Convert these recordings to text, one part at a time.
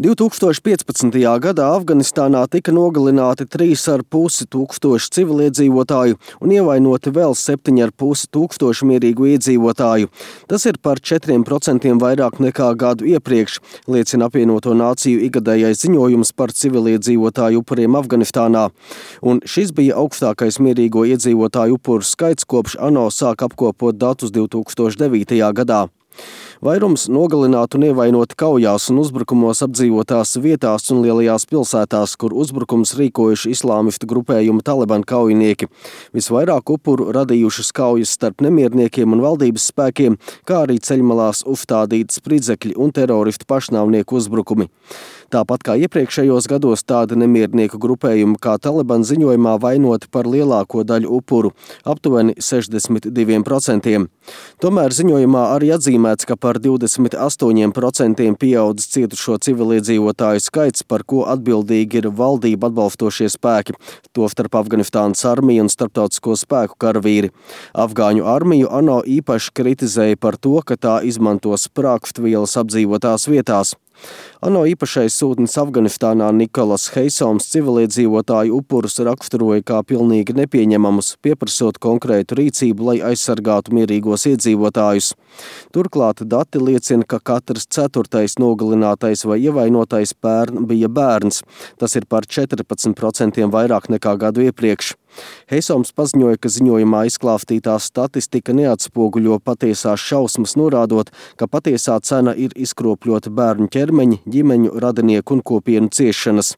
2015. gadā Afganistānā tika nogalināti 3,5 tūkstoši civiliedzīvotāju un ievainoti vēl 7,5 tūkstoši mierīgu iedzīvotāju. Tas ir par 4% vairāk nekā gadu iepriekš, liecina apvienoto nāciju ikgadējais ziņojums par civiliedzīvotāju upuriem Afganistānā. Un šis bija augstākais mierīgo iedzīvotāju upuru skaits, kopš ANO sāk apkopot datus 2009. gadā. Vairums nogalināti un ievainoti kaujās un uzbrukumos apdzīvotās vietās un lielajās pilsētās, kur uzbrukums rīkojuši islāmistu grupējuma Taliban kaujinieki. Visvairāk upuru radījušas kaujas starp nemierniekiem un valdības spēkiem, kā arī ceļmalās uzstādīti spridzekļi un teroristu pašnāvnieku uzbrukumi. Tāpat kā iepriekšējos gados, tādi nemiernieku grupējumi kā Taliban ziņojumā vainoti par lielāko daļu upuru, aptuveni 62%. Tomēr ziņojumā arī atzīmēts, ka par 28% pieaudzis cietušo civiliedzīvotāju skaits, par ko atbildīgi ir valdību atbalstošie spēki, tostarp Afganistānas armija un starptautisko spēku karavīri. Afgāņu armiju ANO īpaši kritizēja par to, ka tā izmanto sprāgstvielas apdzīvotās vietās. ANO īpašais sūtnis Afganistānā Nikolas Heisoms civiliedzīvotāju upurus raksturoja kā pilnīgi nepieņemamus, pieprasot konkrētu rīcību, lai aizsargātu mierīgos iedzīvotājus. Turklāt dati liecina, ka katrs 4. nogalinātais vai ievainotais pērn bija bērns. Tas ir par 14% vairāk nekā gadu iepriekš. Heisoms paziņoja, ka ziņojumā izklāstītā statistika neatspoguļo patiesās šausmas, norādot, ka patiesā cena ir izkropļota bērnu ķermeņi, ģimeņu, radinieku un kopienu ciešanas.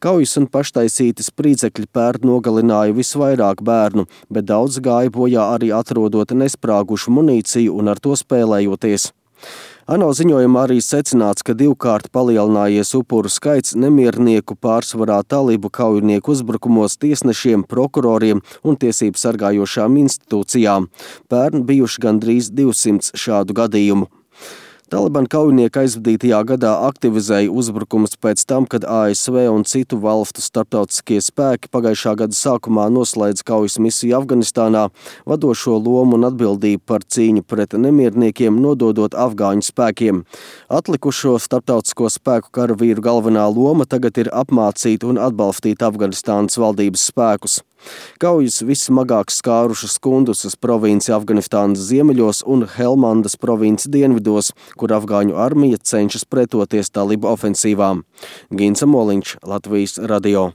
Kaujas un paštaisīti spridzekļi pērn nogalināja visvairāk bērnu, bet daudz gāja bojā arī atrodot nesprāgušu munīciju un ar to spēlējoties. ANO ziņojumā arī secināts, ka 2-kārt palielinājies upuru skaits nemiernieku pārsvarā talibu kaujinieku uzbrukumos tiesnešiem, prokuroriem un tiesību sargājošām institūcijām. Pērn bijuši gandrīz 200 šādu gadījumu. Taliban kaujinieki aizvadītajā gadā aktivizēja uzbrukumus pēc tam, kad ASV un citu valstu starptautiskie spēki pagājušā gada sākumā noslēdz kaujas misiju Afganistānā, vadošo lomu un atbildību par cīņu pret nemierniekiem nododot afgāņu spēkiem. Atlikušo starptautisko spēku karavīru galvenā loma tagad ir apmācīt un atbalstīt Afganistānas valdības spēkus. Kaujas vissmagāk skārušas Kundusas provinci Afganistānas ziemeļos un Helmandas provinci dienvidos, kur afgāņu armija cenšas pretoties talibu ofensīvām. Ginsa Moliņš, Latvijas radio.